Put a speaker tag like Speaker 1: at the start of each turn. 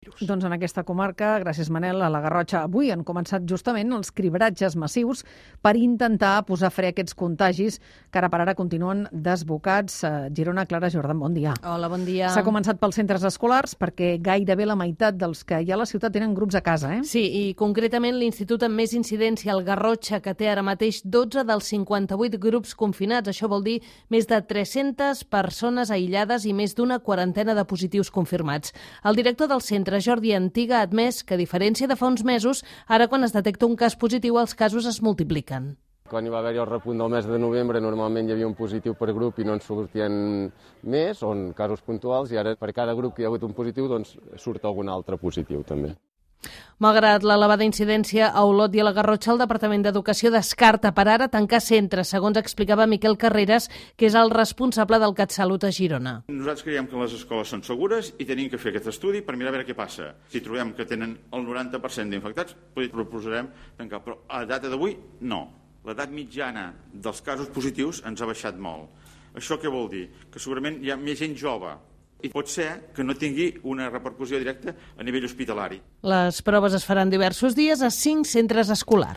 Speaker 1: Doncs en aquesta comarca, gràcies Manel, a la Garrotxa, avui han començat justament els cribratges massius per intentar posar fre a aquests contagis que ara per ara continuen desbocats. Girona, Clara Jordan, bon dia.
Speaker 2: Hola, bon dia.
Speaker 1: S'ha començat pels centres escolars perquè gairebé la meitat dels que hi ha a la ciutat tenen grups a casa, eh?
Speaker 2: Sí, i concretament l'institut amb més incidència, el Garrotxa, que té ara mateix 12 dels 58 grups confinats. Això vol dir més de 300 persones aïllades i més d'una quarantena de positius confirmats. El director del centre, Jordi Antiga, ha admès que, a diferència de fa uns mesos, ara quan es detecta un cas positiu els casos es multipliquen.
Speaker 3: Quan hi va haver-hi el repunt del mes de novembre, normalment hi havia un positiu per grup i no en sortien més, o en casos puntuals, i ara per cada grup que hi ha hagut un positiu, doncs surt algun altre positiu també.
Speaker 2: Malgrat l'elevada incidència a Olot i a la Garrotxa, el Departament d'Educació descarta per ara tancar centres, segons explicava Miquel Carreras, que és el responsable del CatSalut a Girona.
Speaker 4: Nosaltres creiem que les escoles són segures i tenim que fer aquest estudi per mirar a veure què passa. Si trobem que tenen el 90% d'infectats, proposarem tancar, però a data d'avui no. L'edat mitjana dels casos positius ens ha baixat molt. Això què vol dir? Que segurament hi ha més gent jove i pot ser que no tingui una repercussió directa a nivell hospitalari.
Speaker 2: Les proves es faran diversos dies a 5 centres escolars.